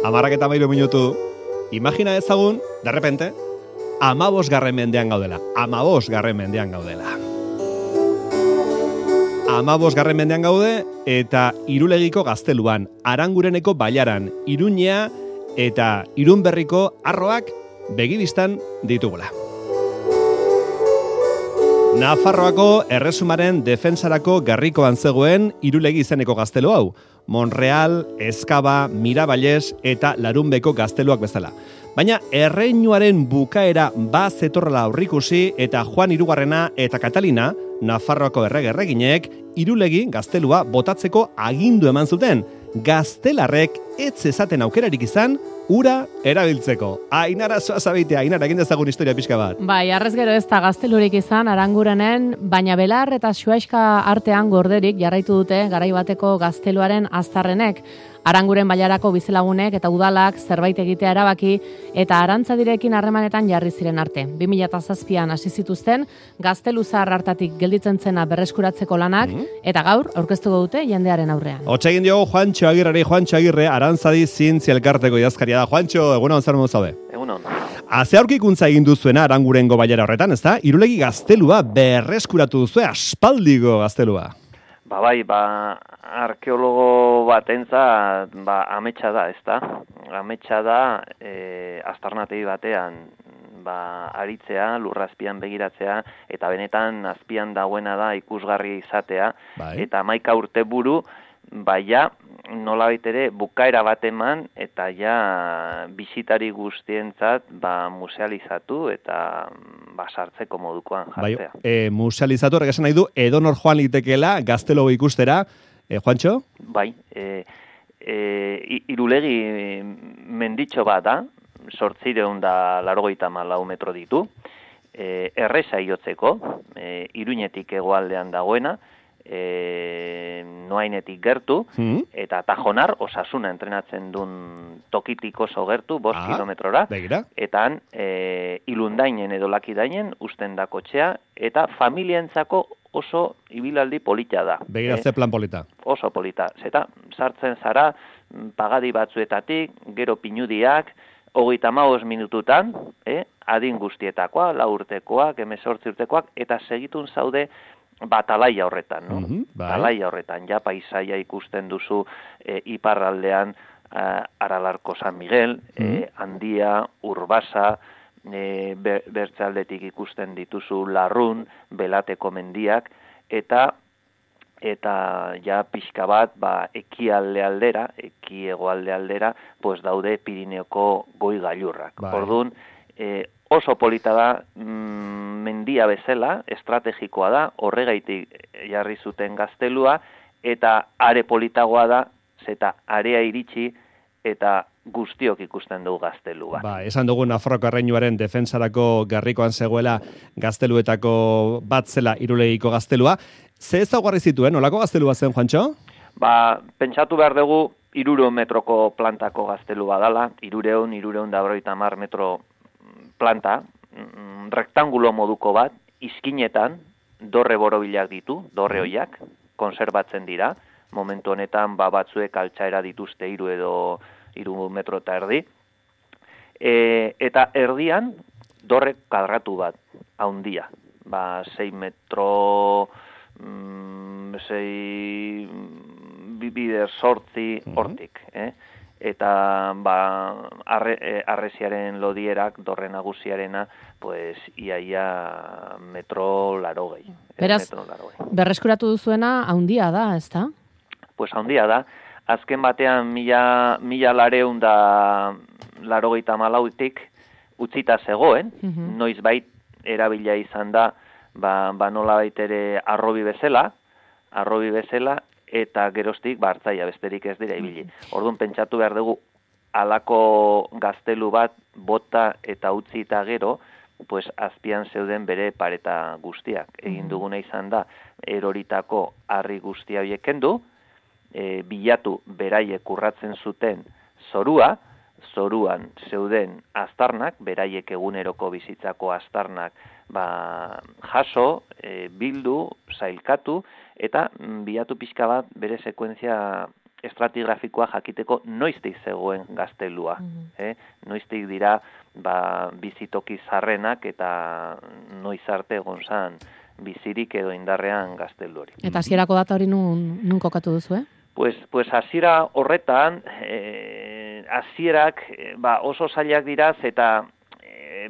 13 minutu. Imagina ezagun, de repente, 15. mendean gaudela. 15. mendean gaudela. 15. mendean gaude eta Irulegiko gazteluan, Arangureneko bailaran, Iruñea eta Irunberriko arroak begibistan ditugula. Nafarroako erresumaren defensarako garrikoan zegoen Irulegi izeneko gaztelu hau, Monreal, Ezkaba, Miraballes eta Larunbeko gazteluak bezala. Baina erreinuaren bukaera zetorrela aurrikusi eta Juan Hirugarrena eta Katalina, Nafarroako erreginek, Irulegi gaztelua botatzeko agindu eman zuten. Gaztelarrek ez zezaten aukerarik izan, ura erabiltzeko. Ainara zoazabitea, Ainara, egin dezagun historia pixka bat. Bai, arrez gero ez da gaztelurik izan, Arangurenen, baina Belar eta Xuaixka artean gorderik jarraitu dute garai bateko gazteluaren aztarrenek. Aranguren bailarako bizelagunek eta udalak zerbait egitea erabaki eta Arantzadirekin harremanetan jarri ziren arte. 2007an hasi zituzten gazteluzar hartatik gelditzen zena berreskuratzeko lanak eta gaur aurkeztuko dute jendearen aurrean. Hotsa egin diogu Juantxo Agirre, Arantzadi zientzia elkarteko idazkaria da. Juantxo, egunon zer modu zaude? Egunon. Haze aurkikuntza egin duzuena Arangurengo bailara horretan, ezta? Irulegi gaztelua berreskuratu duzue, aspaldiko gaztelua. Bai, arkeologo batentzat ametsa da, ezta? Ametsa da aztarnategi batean aritzea, lurrazpian begiratzea, eta benetan azpian dagoena da ikusgarri izatea, eta 11 urte buru, nolabait ere bukaera bat eman, eta bisitari guztientzat musealizatu eta sartzeko modukoan jartzea. Musealizatu horrek esan nahi du, edonor joan litekeela gaztelo ikustera, Juantxo? Bai, Irulegi menditxo bat da, 884 metro ditu, erreza iotzeko, Iruñetik hegoaldean dagoena, Noainetik gertu, eta Tajonar, Osasuna entrenatzen duen tokitik oso gertu, 5 kilometrora, eta Ilundainen edo Lakidainen usten da kotxea, eta familientzako oso ibilaldi polita da. Begiratze plan polita. Oso polita. Zeta, sartzen zara, pagadi batzuetatik, gero pinudiak, 35 minututan, adin guztietakoa, 4 urtekoak, 18 urtekoak, eta segitun zaude talaia horretan, no? Talaia horretan, paisaia ikusten duzu iparraldean Aralarko San Miguel, Handia, Urbasa, bertzaldetik ikusten dituzu Larrun, Belateko mendiak, eta pixka bat ekialde aldera, ekiegoalde aldera, daude Pirineoko goi gailurrak. Orduan, oso polita da, mendia bezala, estrategikoa da, horregaitik jarri zuten gaztelua, eta are politagoa da, zeta area iritsi, eta guztiok ikusten dugu gaztelua. Esan dugu Nafarroko erreinuaren defensarako garrikoan zegoela gazteluetako bat zela Irulegiko gaztelua. Ze ezaugarri zituen, nolako gaztelua zen, Juantxo? Pentsatu behar dugu 300 metroko plantako gaztelua dala, 350 metro planta, rektangulo moduko bat, izkinetan, dorre borobilak ditu, dorre hoiak, konserbatzen dira, momentu honetan batzuek altxaera dituzte 3 metro eta erdi, eta erdian dorre kadratu bat, haundia, 6 metro, 6 bider sortzi hortik, eta arresiaren lodierak, dorre nagusiarena, iaia metro 80. Beraz, berreskuratu duzuena haundia da, ez da? Haundia da. Azken batean 1984tik utzita zegoen, noizbait erabila izan da, nolabait ere arrobi bezala, eta geroztik hartzaia besterik ez dira ibili. Orduan pentsatu behar dugu, halako gaztelu bat bota eta utzi eta gero, azpian zeuden bere pareta guztiak. Egin duguna izan da, eroritako harri guztia horiek kendu, bilatu beraiek urratzen zuten zorua, zoruan zeuden aztarnak, beraiek eguneroko bizitzako aztarnak jaso, bildu, zailkatu, eta bilatu pixka bat bere sekuentzia estratigrafikoa jakiteko noiztik zegoen gaztelua. Noiztik dira bizitoki zarrenak eta noiz arte egon zan bizirik edo indarrean gaztelu hori. Eta hasierako data hori nun kokatu duzu, Pues hasiera horretan, hasierak oso zailak diraz eta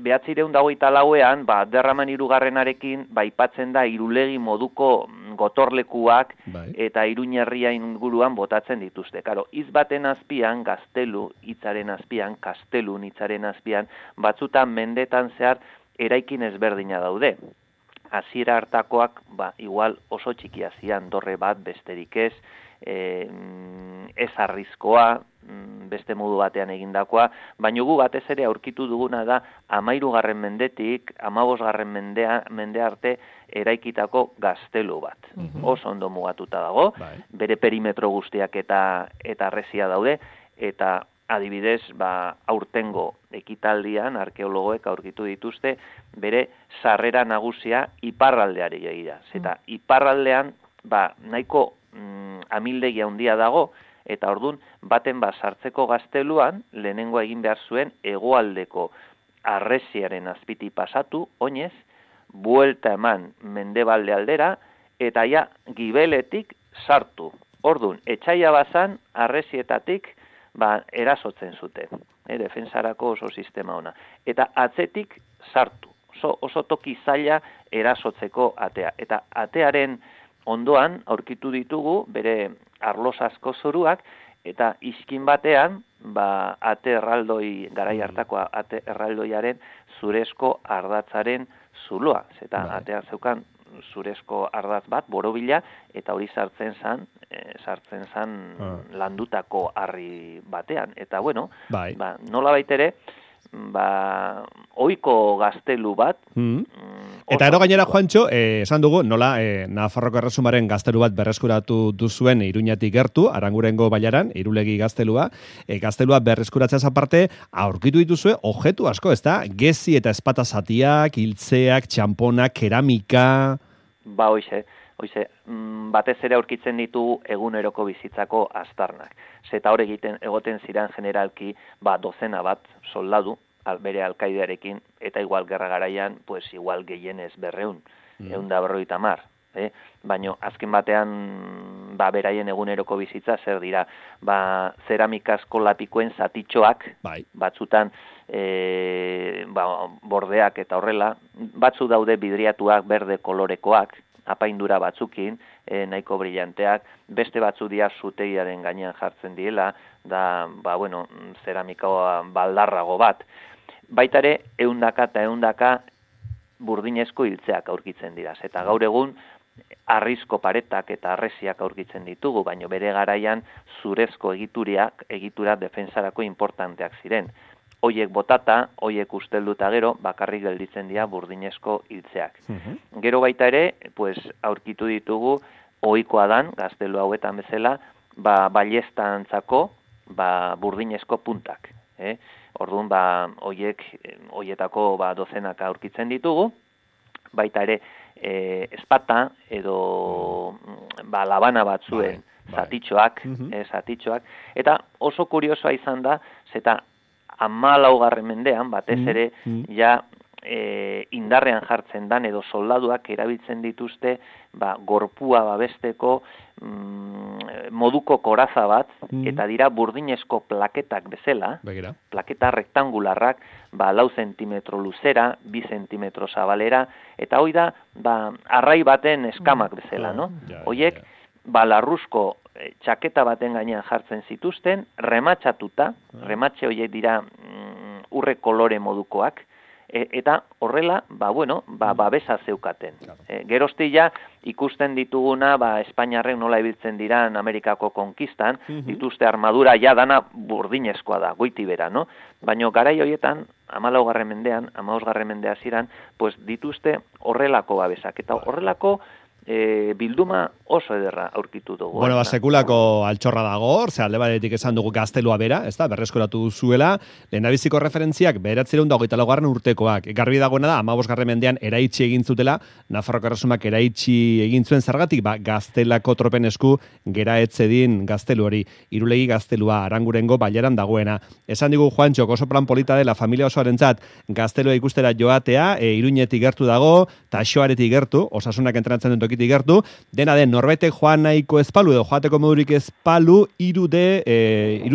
1924ean, Derraman hirugarrenarekin aipatzen da Irulegi moduko gotorlekuak eta Iruñerria inguruan botatzen dituzte. Karo, hitz baten azpian, gaztelu hitzaren azpian, kastelun hitzaren azpian, batzutan mendetan zehar eraikin ezberdina daude. Hasiera hartakoak, igual oso txikia zian, dorre bat besterik ez, ez arrizkoa, beste modu batean egindakoa, baina gu batez ere aurkitu duguna da 13. mendetik 15. mende arte eraikitako gaztelu bat. Oso ondo mugatuta dago, bere perimetro guztiak eta arresia daude, eta adibidez, aurtengo ekitaldian arkeologoek aurkitu dituzte bere sarrera nagusia iparraldeari egira. Eta iparraldean nahiko amildegia handia dago, eta ordun baten sartzeko gazteluan lehenengo egin behar zuen hegoaldeko arresiaren azpiti pasatu, oinez, buelta eman mendebalde aldera, eta ja gibeletik sartu. Ordun, etxaia bazan arresietatik erasotzen zuten. Defensarako oso sistema ona. Eta atzetik sartu. Oso toki zaila erasotzeko atea. Eta atearen ondoan aurkitu ditugu bere arlosazko zoruak, eta iskin batean, ate erraldoi, garai hartako ate erraldoiaren zurezko ardatzaren zuloa. Eta atean zeukan zurezko ardatz bat, borobila, eta hori sartzen zan landutako harri batean. Eta bueno, nola baitere, ohiko gaztelu bat. Eta ero gainera, Juantxo, esan dugu, nola Nafarroko Erresumaren gaztelu bat berreskuratu duzuen Iruñatik gertu, Arangurengo bailaran, Irulegi gaztelua. Gaztelua berreskuratzeaz aparte, aurkitu dituzue objektu asko, ez da? Gezi eta espata zatiak, hiltzeak, txamponak, keramika... Hoize, batez ere aurkitzen ditugu eguneroko bizitzako aztarnak. Zeta hor egoten ziren generalki, dozena bat soldadu, bere alkaidearekin, eta igual gerra garaian, pues igual gehienez 200, 150. Baina azken batean, beraien eguneroko bizitza zer dira, zeramikazko lapikoen zatitxoak, batzutan bordeak eta horrela, batzu daude bidriatuak berde kolorekoak, apaindura batzukin, nahiko brillanteak, beste batzu dira zutegiaren gainean jartzen diela, da, zeramikoa baldarrago bat. Baita ere, 100 eta 100 burdinezko hiltzeak aurkitzen dira. Eta gaur egun, harrizko paretak eta arresiak aurkitzen ditugu, baina bere garaian zurezko egitura defensarako importanteak ziren. Hoiek botata, hoiek ustelduta gero, bakarrik gelditzen dira burdinezko hiltzeak. Gero baita ere, aurkitu ditugu, ohikoa dan, gaztelu hauetan bezala, ballesta-antzako burdinezko puntak. Orduan, hoietako dozenaka aurkitzen ditugu, baita ere, espata edo labana batzuen zatitxoak, eta oso kuriosoa izan da, zeta 14. mendean, batez ere, indarrean jartzen dan edo soldaduak erabiltzen dituzte gorpua babesteko moduko koraza bat, eta dira burdinezko plaketak bezala, plaketa rektangularrak, 4 zentimetro luzera, 2 zentimetro zabalera, eta hoi da, arrai baten eskamak bezala, no? Hoiek, larruzko txaketa baten gainean jartzen zituzten, rematxatuta, rematxe horiek dira urre kolore modukoak, eta horrela, babesa zeukaten. Geroztila ikusten dituguna, Espainiarrek nola ibiltzen diran Amerikako konkistan, dituzte armadura dana burdinezkoa da, goiti bera, no? Baina garai horietan, 14. mendean, 15. mende hasieran, dituzte horrelako babesak. Eta horrelako bilduma oso ederra aurkitu dugu. Bueno, sekulako altxorra dago, alde batetik esan dugu gaztelua bera, ez da, berreskuratu zuela, lehendabiziko referentziak 1924 urtekoak. Garbi dagoena da, 15. mendean eraitsi egin zutela, Nafarroko Erresumak eraitsi egin zuen zergatik, gaztelako tropen esku gera etzedin gaztelu hori, Irulegi gaztelua Arangurengo bailaran dagoena. Esan digu Juantxok oso plan polita dela familia osoarentzat gaztelua ikustera joatea, Iruñetik gertu dago, Taxoaretik gertu, Osasunak entrenatzen duen tokitik gertu, dena den norbaitek joan nahiko ezpalu edo joateko modurik ezpalu hiru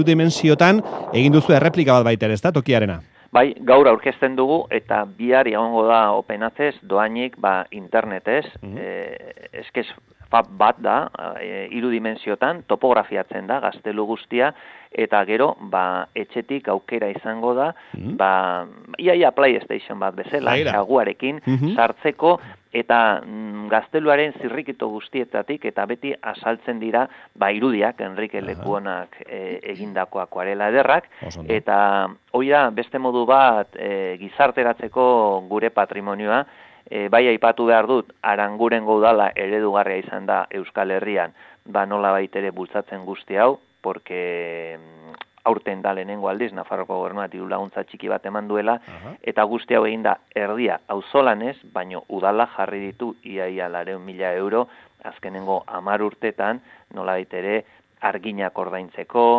dimensiotan egin duzu erreplika bat baita ere, ez da, tokiarena? Bai, gaur aurkezten dugu eta bihar egongo da openatez, doainik internetez, eskez bat da, 3 dimensiotan, topografiatzen da, gaztelu guztia, eta gero, etxetik aukera izango da, iaia PlayStation bat bezala, xaguarekin, sartzeko, eta gazteluaren zirrikito guztietatik, eta beti asaltzen dira, irudiak, Enrique Lekuonak egindako akuarela ederrak, eta hori da, beste modu bat, gizarteratzeko gure patrimonioa, bai aipatu behar dut, Arangurengo udala eredugarria izan da Euskal Herrian, nola baitere bultzatzen guzti hau, porque aurten da lehenengo aldiz, Nafarroko Gobernuak diru laguntza txiki bat eman duela, eta guzti hau egin da erdia auzolanez, baino udala jarri ditu iaia 400.000 euro, azkenengo 10 urtetan, nola baitere arginak ordaintzeko,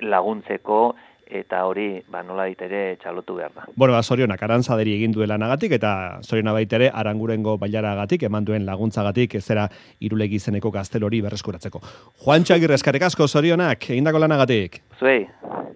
laguntzeko, eta hori, nola ditere txalotu behar da. Bueno, zorionak Arantzaderi egin duela nagatik, eta zoriona baitere Arangurengo bailaragatik, eman duen laguntzagatik, ezera Irulegi izeneko gaztel hori berreskuratzeko. Juantxo Agirre, eskerrik asko, zorionak, egindako lanagatik. Zuei.